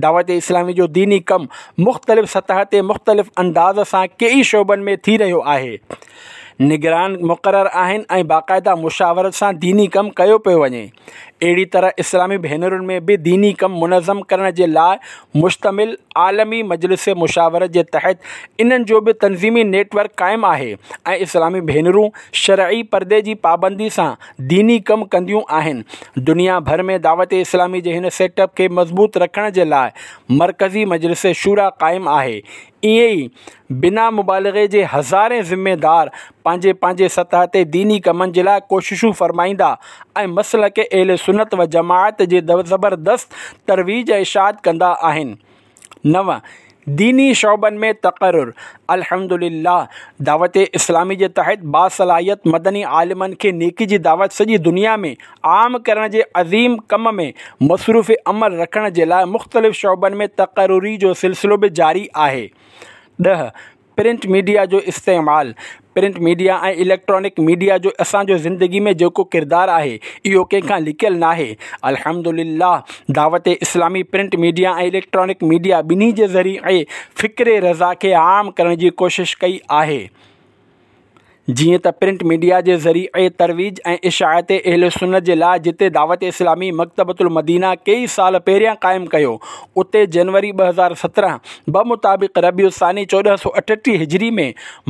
دعوت اسلامي جو ديني ڪم مختلف سطح تي مختلف انداز سان ڪيئي شعبن ۾ ٿي رهيو آهي. نگران مقرر آهن ۽ باقاعده مشاورت سان ديني ڪم ڪيو پيو وڃي. اهڙي طرح اسلامي ڀينرن ۾ به ديني ڪم منظم ڪرڻ جي لاء مشتمل عالمي مجلس مشاورت جي تحت انهن جو به تنظيمي نيٽ ورڪ قائم آهي ۽ اسلامي ڀينرون شرعي پردي جي پابندي سان ديني ڪم ڪنديون آهن. دنيا ڀر ۾ دعوت اسلامي جي هن سيٽ اپ کي مضبوط رکڻ جي لاء مرڪزي مجلس شوريٰ قائم آهي. ائين ئي بنا مبالغي جي هزارين ذميدار پنهنجي پنهنجي سطح تي ديني ڪمن جي لاء ڪوششون فرمائيندا ۽ مسلڪ اهل سنت و جماعت جي زبردست ترويج ۽ اشاعت ڪندا آهن. نو، ديني شعبن ۾ تقرر. الحمدلله دعوت اسلامي جي تحت باصلاحيت مدني عالمن کي نيڪي جي دعوت سڄي دنيا ۾ عام ڪرڻ جي عظيم ڪم ۾ مصروف عمل رکڻ جي لاء مختلف شعبن ۾ تقرري جو سلسلو به جاري آهي. ڏهه، پرنٽ ميڊيا جو استعمال. پرنٽ ميڊيا ۽ اليڪٽرانڪ ميڊيا جو اسان جو زندگي ۾ جيڪو ڪردار آهي اهو ڪنهن کان لڪيل ناهي. الحمدلله دعوت اسلامي پرنٽ ميڊيا ۽ اليڪٽرانڪ ميڊيا ٻنهي جي ذريعي فڪر رضا کي عام ڪرڻ جي ڪوشش ڪئي آهي. جيئن ته پرنٽ ميڊيا جي ذريعي ترويج ۽ اشاعت اهل سنت جي لاء جتي دعوت اسلامي مڪتبة المدينه ڪيئي سال پهريان قائم ڪيو اتي جنوري ٻه هزار سترهن بمطابق ربيع الثاني چوڏهن سؤ اٺٽيهه هجري ۾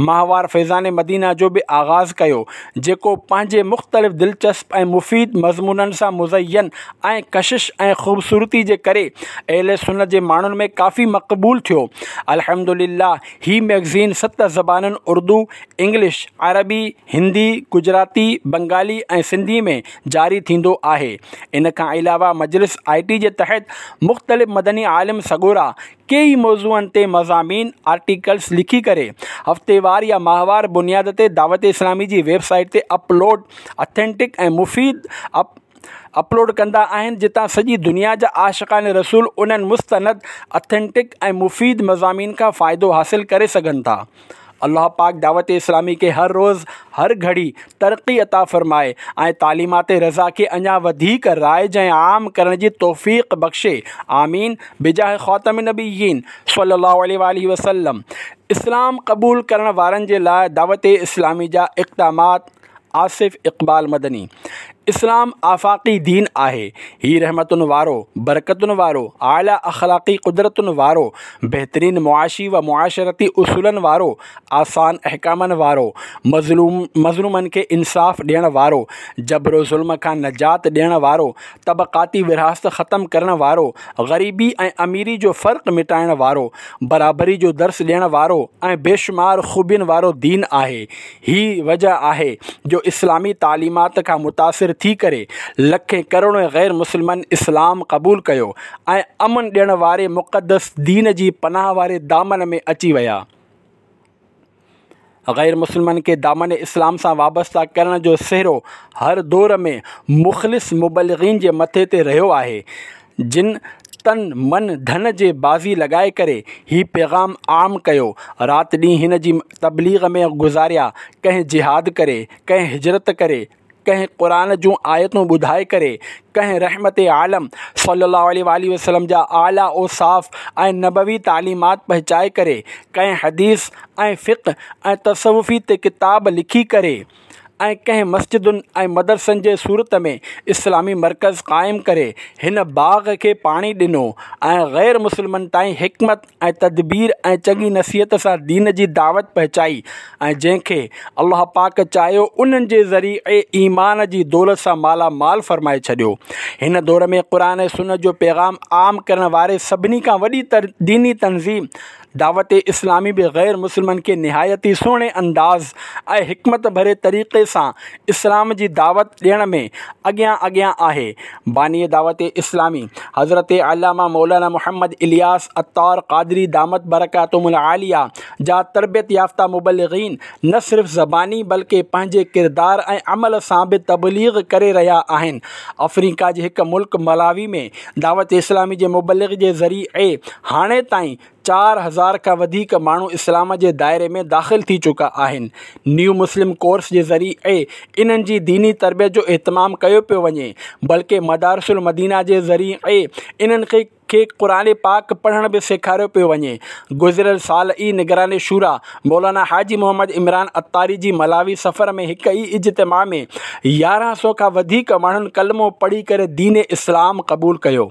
ماهوار فيضان مدينه جو به آغاز ڪيو جيڪو پنهنجي مختلف دلچسپ ۽ مفيد مضمونن سان مزين ۽ ڪشش ۽ خوبصورتي جي ڪري اهل سنت جي ماڻهن ۾ ڪافي مقبول ٿيو. الحمدلله هي مئگزين ست زبانن اردو، انگلش، عربي، هندي، گجراتي، بنگالي ۽ سنڌي ۾ جاري ٿيندو آهي. ان کان علاوه مجلس آء ٽي جي تحت مختلف مدني عالم سڳورا ڪيئي موضوعن تي مضامين، آرٽيڪلز، لکي ڪري هفتيوار يا ماهوار بنياد تي دعوت اسلامي جي ويب سائيٽ تي اپلوڊ اٿينٽڪ ۽ مفيد اپلوڊ ڪندا آهن جتان سڄي دنيا جا عاشقان رسول انهن مستند، اٿينٽڪ ۽ مفيد مضامين کان فائدو حاصل ڪري سگهن ٿا. الله پاڪ دعوت اسلامي کي هر روز هر گهڙي ترقي عطا فرمائي ۽ تعليمات رضا کي اڃا وڌيڪ رائج ۽ عام ڪرڻ جي توفيق بخشي آمين بجاه خاتم النبيين صلي الله عليه واٰله وسلم. اسلام قبول ڪرڻ وارن جي لاء دعوت اسلامي جا اقدامات. آصف اقبال مدني، اسلام آفاقي دين آهي. هي رحمتن وارو، برڪتن وارو، اعليٰ اخلاقي قدرتن وارو، بهترين معاشي و معاشرتي اصولن وارو، آسان احڪامن وارو، مظلوم مظلومن کي انصاف ڏيڻ وارو، جبر و ظلم کان نجات ڏيڻ وارو، طبقاتي ورهاست ختم ڪرڻ وارو، غريبي ۽ اميري جو فرق مٽائڻ وارو، برابري جو درس ڏيڻ وارو ۽ بيشمار خوبين وارو دين آهي. هي وجه آهي جو اسلامي تعليمات کان متاثر ٿي ڪري لکين ڪروڙين غير مسلمن اسلام قبول ڪيو ۽ امن ڏيڻ واري مقدس دين جي پناهه واري دامن ۾ اچي ويا. غير مسلمن کي دامن اسلام سان وابسته ڪرڻ جو سهرو هر دور ۾ مخلص مبلغين جي مٿي تي رهيو آهي جن تن من ڌن جي بازي لڳائي ڪري هي پيغام عام ڪيو. رات ڏينهن هن جي تبليغ ۾ گذاريا، ڪنهن جهاد ڪري، ڪنهن هجرت ڪري، ڪنهن قرآن جون آيتون ٻڌائي ڪري، ڪنهن رحمت عالم صلي الله عليه واٰله وسلم جا اعليٰ اوصاف ۽ نبوي تعليمات پهچائي ڪري، ڪنهن حديث ۽ فقه ۽ تصوفي تي ڪتاب لکي ڪري ۽ ڪنهن مسجدن ۽ مدرسن جي صورت ۾ اسلامي مرڪز قائم ڪري هن باغ کي پاڻي ڏنو ۽ غير مسلمن تائين حڪمت ۽ تدبير ۽ چڱي نصيحت سان دين جي دعوت پهچائي ۽ جنهن کي الله پاڪ چاهيو انهن جي ذريعي ايمان جي دولت سان مالا مال فرمائي ڇڏيو. هن دور ۾ قرآن ۽ سنت جو پيغام عام ڪرڻ واري سڀني کان وڏي ديني تنظيم دعوت اسلامي به غير مسلمن کي نهايت ئي سهڻي انداز ۽ حڪمت ڀري طريقي سان اسلام جي دعوت ڏيڻ ۾ اڳيان اڳيان آهي. باني دعوت اسلامي حضرت علامه مولانا محمد الياس عطار قادري دامت برڪاتهم العاليه جا تربيت يافته مبلغين نه صرف زباني بلڪه پنهنجي ڪردار ۽ عمل سان به تبليغ ڪري رهيا آهن. آفريڪا جي هڪ ملڪ ملاوي ۾ دعوت اسلامي جي مبلغ جي ذريعي هاڻي تائين چار هزار کان وڌيڪ ماڻهو اسلام جي دائري ۾ داخل ٿي چڪا آهن. نيو مسلم ڪورس جي ذريعي انهن جي ديني تربيت جو اهتمام ڪيو پيو وڃي بلڪه مدارس المدينه جي ذريعي انهن کي کي قرآن پاڪ پڙهڻ به سيکاريو پيو وڃي. گذريل سال ئي نگران شوريٰ مولانا حاجي محمد عمران عطاري جي ملاوي سفر ۾ هڪ ئي اجتماع ۾ يارهن سؤ کان وڌيڪ ماڻهن ڪلمو پڙهي ڪري دين اسلام قبول ڪيو.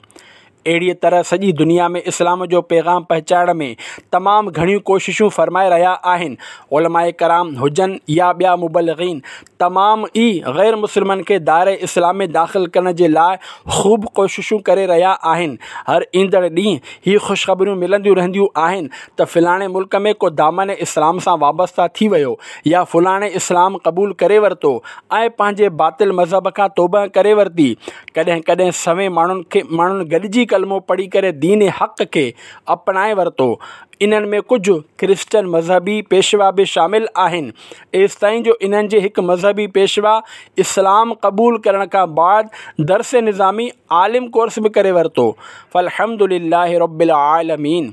اهڙيء طرح سڄي دنيا ۾ اسلام جو پيغام پهچائڻ ۾ تمام گهڻيون ڪوششون فرمائي رهيا آهن. علماء ڪرام هجن يا ٻيا مبلغين تمام ئي غير مسلمن کي دائره اسلام ۾ داخل ڪرڻ جي لاء خوب ڪوششون ڪري رهيا آهن. هر ايندڙ ڏينهن هي خوشخبريون ملنديون رهنديون آهن ته فلاڻي ملڪ ۾ ڪو دامن اسلام سان وابسته ٿي ويو يا فلاڻي اسلام قبول ڪري ورتو ۽ پنهنجي باطل مذهب کان توبهه ڪري ورتي. ڪڏهن ڪڏهن سوين ماڻهن کي ماڻهن گڏجي ڪلمو پڙهي ڪري دين حق کي اپنائي ورتو. انهن ۾ ڪجهه ڪرسچن مذهبي پيشوا به شامل آهن. ايستائين جو انهن جي هڪ مذهبي پيشوا اسلام قبول ڪرڻ کان بعد درس نظامي عالم ڪورس به ڪري ورتو. فالحمد لله رب العالمين.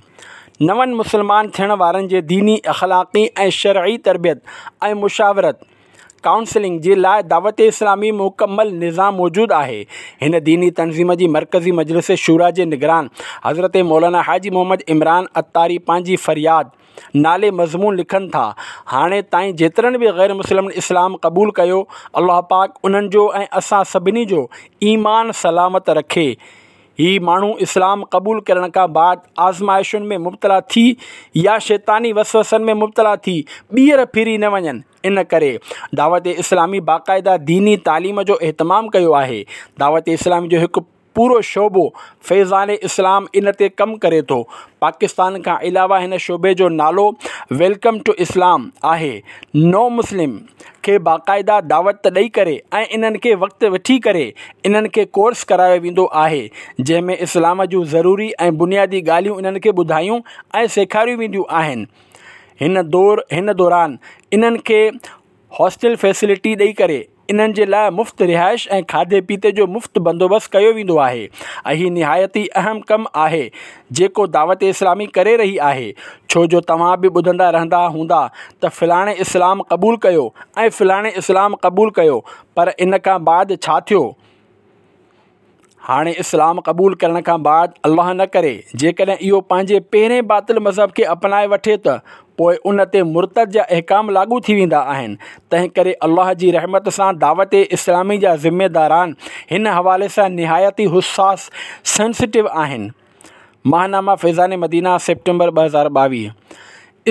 نون مسلمان ٿيڻ وارن جي ديني، اخلاقي ۽ شرعي تربيت ۽ مشاورت، ڪائونسلنگ، جي لاء دعوت اسلامي مڪمل نظام موجود آهي. هن ديني تنظيم جي مرڪزي مجلس شوريٰ جي نگران حضرت مولانا حاجي محمد عمران عطاري پنهنجي فرياد نالي مضمون لکن ٿا، هاڻي تائين جيترن به غير مسلمن اسلام قبول ڪيو، الله پاڪ انهن جو ۽ اسان سڀني جو ايمان سلامت رکي. هي ماڻهو اسلام قبول ڪرڻ کان بعد آزمائشن ۾ مبتلا ٿي يا شيطاني وسوسن ۾ مبتلا ٿي ٻيهر ڦري نه وڃن، ان ڪري دعوت اسلامي باقاعده ديني تعليم جو اهتمام ڪيو آهي. دعوت اسلامي جو هڪ پورو شعبو فيضان اسلام ان تي ڪم ڪري ٿو. پاڪستان کان علاوه هن شعبي جو نالو welcome two اسلام آهي. نو مسلم کي باقاعده دعوت ڏئي ڪري ۽ انهن کي وقت وٺي ڪري انهن کي ڪورس ڪرايو ويندو آهي جنهن ۾ اسلام جون ضروري ۽ بنيادي ڳالهيون انهن کي ٻڌايون ۽ سيکاريون وينديون آهن. هن دور هن دوران انهن کي هاسٽل فيسلٽي ڏئي ڪري انهن جي لاء مفت رهائش ۽ کاڌي پيتي جو مفت بندوبست ڪيو ويندو آهي ۽ هي نهايت ئي اهم ڪم آهي جيڪو دعوت اسلامي ڪري رهي آهي ڇو جو توهان به ٻڌندا رهندا هوندا ته فلاڻي اسلام قبول ڪيو ۽ فلاڻي اسلام قبول ڪيو پر ان کان بعد ڇا ٿيو؟ هاڻي اسلام قبول ڪرڻ کان بعد الله نه ڪري جيڪڏهن اهو پنهنجي پهرين باطل مذهب کي اپنائي وٺي ته پوء ان تي مرتد جا احڪام لاڳو ٿي ويندا آهن. تنهن ڪري الله جي رحمت سان دعوت اسلامي جا ذميداران هن حوالي سان نهايت ئي حساس، Sensitive، آهن. ماهنامه فيضان مدينه سيپٽمبر ٻه هزار ٻاويهه.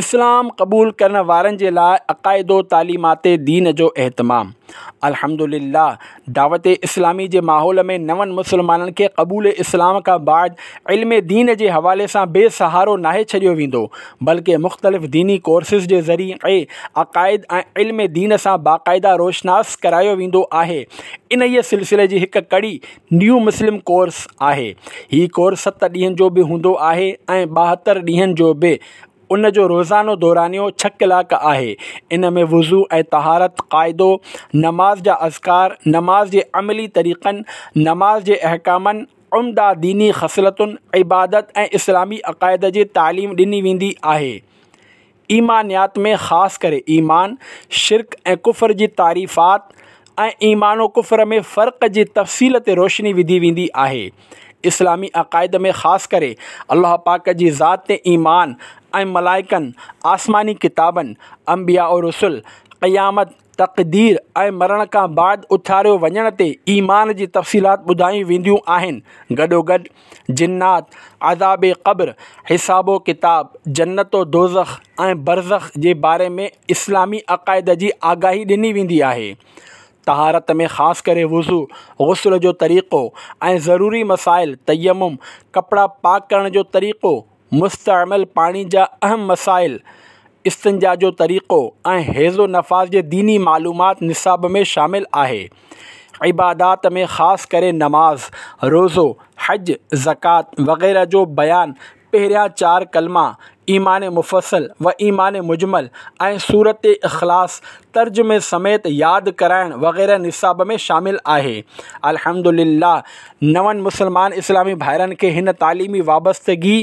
اسلام قبول ڪرڻ وارن جي لاء عقائد و تعليمات دين جو اهتمام. الحمد لله دعوت اسلامي جي ماحول ۾ نون مسلمانن کي قبول اسلام کان بعد علم دين جي حوالي سان بي سهارو ناهي ڇڏيو ويندو بلڪه مختلف ديني ڪورسز جي ذريعي عقائد ۽ علم دين سان باقاعده روشناس ڪرايو ويندو آهي. انهيء سلسلي جي هڪ ڪڙي نيو مسلم ڪورس آهي. هي ڪورس ست ڏينهن جو به هوندو آهي ۽ ٻاهتر ڏينهن جو به. ان جو روزانو دورانيو ڇهه ڪلاڪ آهي. ان ۾ وضو ۽ طهارت، قاعدو، نماز جا اذڪار، نماز جي عملي طريقن، نماز جي احڪامن، عمده ديني خصلتن، عبادت ۽ اسلامي عقائد جي تعليم ڏني ويندي آهي. ايمانيات ۾ خاص ڪري ايمان، شرڪ ۽ ڪفر جي تعريفات ۽ ايمان و ڪفر ۾ فرق جي تفصيل تي روشني وڌي ويندي آهي. اسلامي عقائد ۾ خاص ڪري الله پاڪ جي ذات تي ايمان ۽ ملائڪن، آسماني ڪتابن، انبياء و رسل، قيامت، تقدير ۽ مرڻ کان بعد اٿاريو وڃڻ تي ايمان جي تفصيلات ٻڌايون وينديون آهن. گڏوگڏ جنات، عذاب قبر، حساب و ڪتاب، جنت و دوزخ ۽ برزخ جي باري ۾ اسلامي عقائد جي آگاهي ڏني ويندي آهي. طهارت ۾ خاص ڪري وضو، غسل جو طريقو ۽ ضروري مسائل، تيمم، ڪپڙا پاڪ ڪرڻ جو طريقو، مستعمل پاڻي جا اهم مسائل، استنجا جو طريقو ۽ حيض و نفاس جي ديني معلومات نصاب ۾ شامل آهي. عبادات ۾ خاص ڪري نماز، روزو، حج، زڪوات وغيره جو بيان، پهريان چار ڪلما، ايمان مفصل و ايمان مجمل ۽ سورت اخلاص ترجمي سميت ياد ڪرائڻ وغيره نصاب ۾ شامل آهي. الحمدلله نون مسلمان اسلامي ڀائرن کي هن تعليمي وابستگي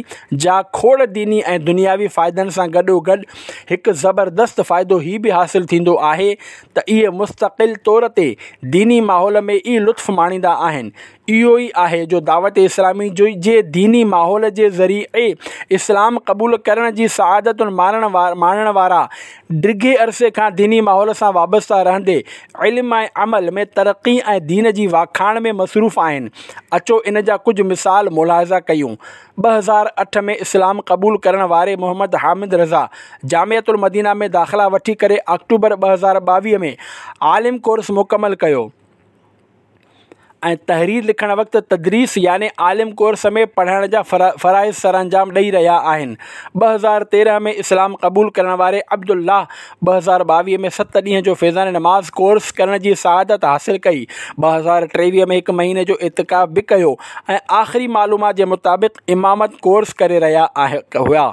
جا کوڙ ديني ۽ دنياوي فائدن سان گڏوگڏ هڪ زبردست فائدو هي به حاصل ٿيندو آهي ته اهي مستقل طور تي ديني ماحول ۾ ئي لطف ماڻيندا آهن. اهو ئي آهي جو دعوت اسلامي جي ديني ماحول جي ذريعي اسلام قبول ڪرڻ جي سعادت ماڻڻ ماڻڻ وارا ڊگهي عرصي کان ديني ماحول سان وابسته رهندي علم ۽ عمل ۾ ترقي ۽ دين جي واکاڻ ۾ مصروف آهن. اچو ان جا ڪجهه مثال ملاحظه ڪيون. ٻه هزار اٺ ۾ اسلام قبول ڪرڻ واري محمد حامد رضا جامعة المدينه ۾ داخلا وٺي ڪري آڪٽوبر ٻه هزار ٻاويهه ۾ عالم ڪورس مڪمل ڪيو ۽ تحرير لکڻ وقت تدريس يعني عالم ڪورس ۾ پڙهائڻ جا فرائض سرانجام ڏئي رهيا آهن. ٻه هزار تيرهن ۾ اسلام قبول ڪرڻ واري عبدالله ٻه هزار ٻاويهه ۾ ست ڏينهن جو فيضان نماز ڪورس ڪرڻ جي سعادت حاصل ڪئي. ٻه هزار ٽيويهه ۾ هڪ مهيني جو اعتڪاف به ڪيو ۽ آخري معلومات جي مطابق امامت ڪورس ڪري رهيا هيا.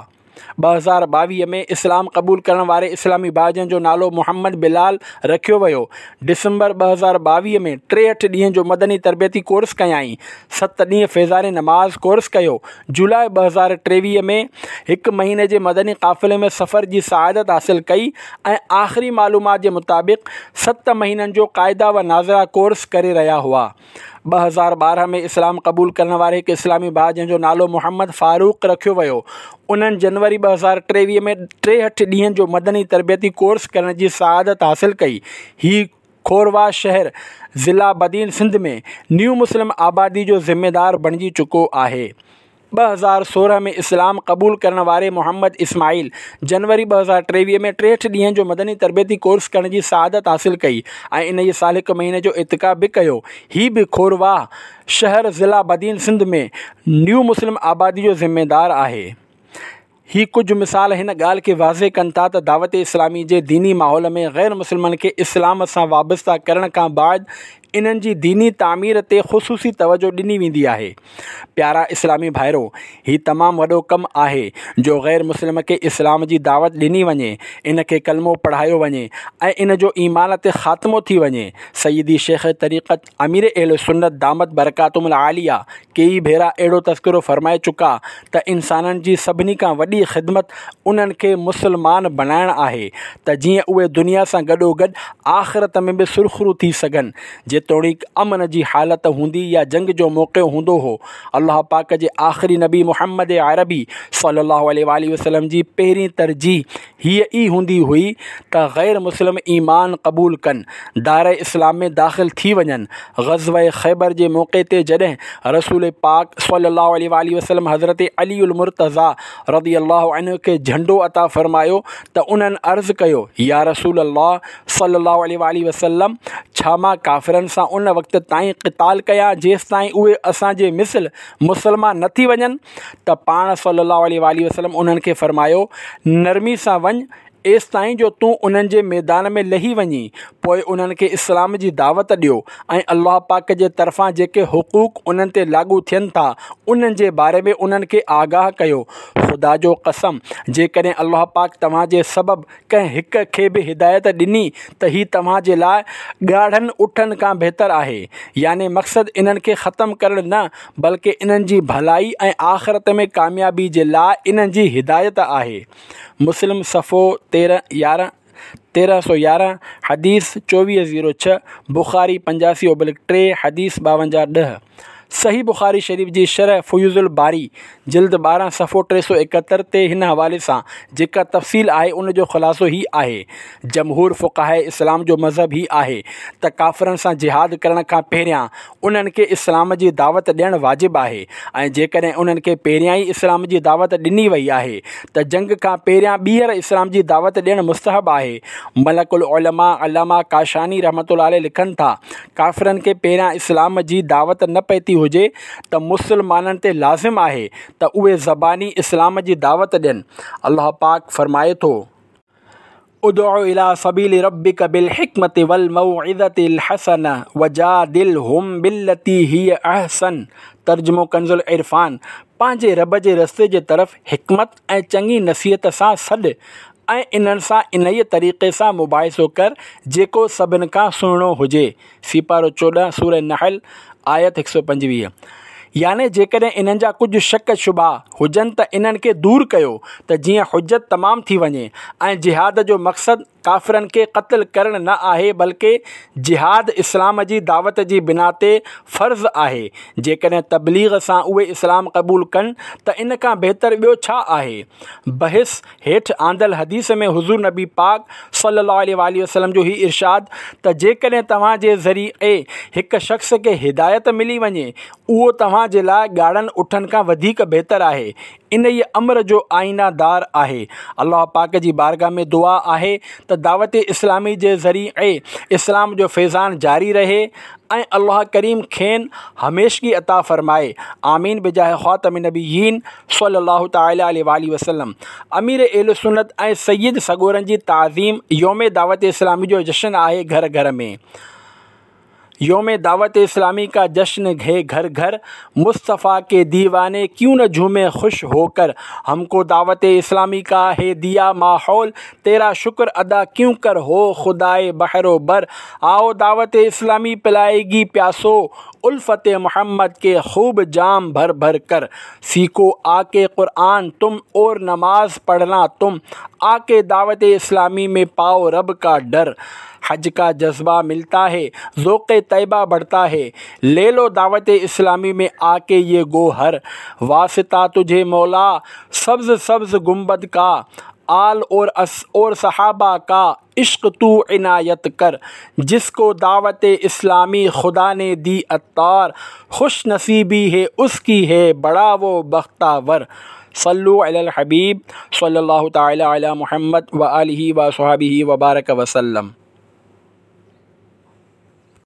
ٻه هزار ٻاويهه ۾ اسلام قبول ڪرڻ واري اسلامي ڀاء جنهن جو نالو محمد بلال رکيو ويو، ڊسمبر ٻه هزار ٻاويهه ۾ ٽيهٺ ڏينهن جو مدني تربيتي ڪورس ڪيائين، ست ڏينهن فيضان نماز ڪورس ڪيو، جولاء ٻه هزار ٽيويهه ۾ هڪ مهيني جي مدني قافلي ۾ سفر جي سعادت حاصل ڪئي ۽ آخري معلومات جي مطابق ست مهينن جو قاعده و ناظره ڪورس ڪري رهيا هئا. ٻه هزار ٻارهن ۾ اسلام قبول ڪرڻ واري هڪ اسلامي ڀاء جنهن جو نالو محمد فاروق رکيو ويو، انهن جنوري ٻه هزار ٽيويهه ۾ ٽيهٺ ڏينهن جو مدني تربيتي ڪورس ڪرڻ جي سعادت حاصل ڪئي. هي کورواهه شهر ضلع بدين سنڌ ۾ نيو مسلم آبادي جو ذميدار بڻجي چڪو آهي. ٻه هزار سورهن ۾ اسلام قبول ڪرڻ واري محمد اسماعيل جنوري ٻه هزار ٽيويهه ۾ ٽيهٺ ڏينهن جو مدني تربيتي ڪورس ڪرڻ جي سعادت حاصل ڪئي ۽ انهيء سال هڪ مهيني جو اعتڪاف به ڪيو. هي به کورواهه شهر ضلع بدين سنڌ ۾ نيو مسلم آبادي جو ذميدار آهي. هي ڪجهه مثال هن ڳالهه کي واضح ڪن ٿا ته دعوت اسلامي جي ديني ماحول ۾ غير مسلمن کي اسلام سان وابسته ڪرڻ کان بعد انهن جي ديني تعمير تي خصوصي توجهه ڏني ويندي آهي. پيارا اسلامي ڀائرو! هي تمام وڏو ڪم آهي جو غير مسلم کي اسلام جي دعوت ڏني وڃي، ان کي ڪلمو پڙهايو وڃي ۽ ان جو ايمان تي خاتمو ٿي وڃي. سيدي شيخ طريقت امير اهل سنت دامت برڪاتهم العاليه ڪيئي ڀيرا اهڙو تذڪرو فرمائي چڪا ته انسانن جي سڀني کان وڏي خدمت انهن کي مسلمان بڻائڻ آهي ته جيئن اهي دنيا سان گڏوگڏ آخرت ۾ به سرخرو ٿي سگهن. جيتوڻيڪ امن جي حالت هوندي يا جنگ جو موقعو هوندو هو، الله پاڪ جي آخري نبي محمد عربي صلي الله عليه واٰله وسلم جي پهرين ترجيح هيء ئي هوندي هئي ته غير مسلم ايمان قبول ڪن، دائره اسلام ۾ داخل ٿي وڃن. غزوه خيبر جي موقعي تي جڏهن رسول پاڪ صلي الله عليه واٰله وسلم حضرت علي المرتضيٰ رضي الله عنه کي جهنڊو عطا فرمايو ته انهن عرض ڪيو، يا رسول الله صلي الله عليه واٰله وسلم! ڇا مان ڪافرن سان ان وقت تائين قتال ڪيان جيستائين اهي اسان جي مثل مسلمان نه ٿي وڃن؟ ته پاڻ صلّي اللّٰه عليه واٰله وسلّم انهن کي فرمايو، نرمي سان وڃ، ايستائين جو تون انهن جي ميدان ۾ لهي وڃين، پوء انهن کي اسلام جي دعوت ڏيو ۽ الله پاڪ جي طرفان جيڪي حقوق انهن تي لاڳو ٿين ٿا، انهن جي باري ۾ انهن کي آگاهه ڪيو. خدا جو قسم! جيڪڏهن الله پاڪ توهان جي سبب ڪنهن هڪ کي به هدايت ڏني ته هي توهان جي لاء ڳاڙهن اٺن کان بهتر آهي. يعني مقصد انهن کي ختم ڪرڻ نه بلڪه انهن جي ڀلائي ۽ آخرت ۾ ڪاميابي جي لاء انهن جي هدايت آهي. مسلم صفحو تيرهن يارهن تيرهن سؤ يارهن، حديث چوويهه زيرو ڇهه، بخاري پنجاسي اوبلڪ ٽي، حديث ٻاونجاهه ڏهه. صحيح بخاري شريف جي شرح فيوض الباري جلد ٻارهن صفحو ٽي سؤ ايڪهتر تي هن حوالي سان جيڪا تفصيل آهي ان جو خلاصو هي آهي، جمهور فقهاء اسلام جو مذهب هي آهي ته ڪافرن سان جهاد ڪرڻ کان پهريان انهن کي اسلام جي دعوت ڏيڻ واجب آهي ۽ جيڪڏهن انهن کي پهريان ئي اسلام جي دعوت ڏني وئي آهي ته جنگ کان پهريان ٻيهر اسلام جي دعوت ڏيڻ مستحب آهي. ملڪ العلماء علامه ڪاشاني رحمة الله عليه لکن ٿا، ڪافرن کي پهريان اسلام جي دعوت نه پهتي هجي ته مسلمانن تي لازم آهي ته اهي زباني اسلام جي دعوت ڏين. الله پاڪ فرمائي ٿو. ادع الي سبيل ربک بالحڪمة والموعظة الحسنة وجادلهم بالتي هي احسن ترجمو ڪنز العرفان، پنهنجي رب جي رستي جي طرف حڪمت ۽ چڱي نصيحت سان سڏ ۽ انهن سان انهيء طريقي سان مباحثو ڪر جيڪو سڀن کان سهڻو هجي. سيپارو چوڏهن، سوره نحل، آيت هڪ سؤ پنجويهه. يعني جيڪڏهن انهن جا ڪجهه شڪ شبها هجن ته انهن کي دور ڪيو ته جيئن حجت تمام ٿي وڃي ۽ جهاد جو مقصد ڪافرن کي قتل ڪرڻ نه آهي بلڪه جهاد اسلام جي دعوت جي بنا تي فرض آهي جيڪڏهن تبليغ سان اهي اسلام قبول ڪن ته ان کان بهتر ٻيو ڇا آهي؟ بحث هيٺ آندل حديث ۾ حضور نبي پاڪ صلي الله عليه واٰله وسلم جو هي ارشاد ته جيڪڏهن توهان جي ذريعي هڪ شخص کي هدايت ملي وڃي اهو توهان جي لاء ڳاڙهن اٺن کان وڌيڪ بهتر آهي انهيء امر جو آئينه دار آهي الله پاڪ جي بارگاھ ۾ دعا آهي ته دعوت اسلامي جي ذريعي اسلام جو فيضان جاري رهي ۽ الله ڪريم کين هميشگي عطا فرمائي آمين بجاه خاتم النبيين صلي الله تعالٰي عليه واٰله وسلم امير اهل سنت ۽ سيد سڳورن جي تعظيم يوم دعوت اسلامي جو جشن آهي گهر گهر ۾ يوم دعوت اسلامي کا جشن هي گهر گهر مصطفيٰ ڪي ديواني ڪيون نه جهومي خوش هو ڪر هم ڪو دعوت اسلامي کا هي ديا ماحول تيرا شڪر ادا ڪيون ڪر هو خدائي بحر و بر آئو دعوت اسلامي پلائي گي پياسو الفت محمد ڪي خوب جام ڀر ڀر ڪر سيکو آ ڪي قرآن تم اور نماز پڙهنا تم آ ڪي دعوت اسلامي ۾ پائو رب کا ڊر حج کا جذبه ملتا هي ذوق طيبه بڙهتا هي لي لو دعوت اسلامي ۾ آ ڪي يه گوهر واسطه تجهي مولا سبز سبز گنبد کا آل اور اور صحابه کا عشق تو عنايت ڪر جس ڪو دعوت اسلامي خدا ني the عطار خوش نصيبي هي اس ڪي هي بڙا وو بختاور صلو علي الحبيب صلي الله تعالي علي محمد وآله وصحبه وبارڪ وسلم.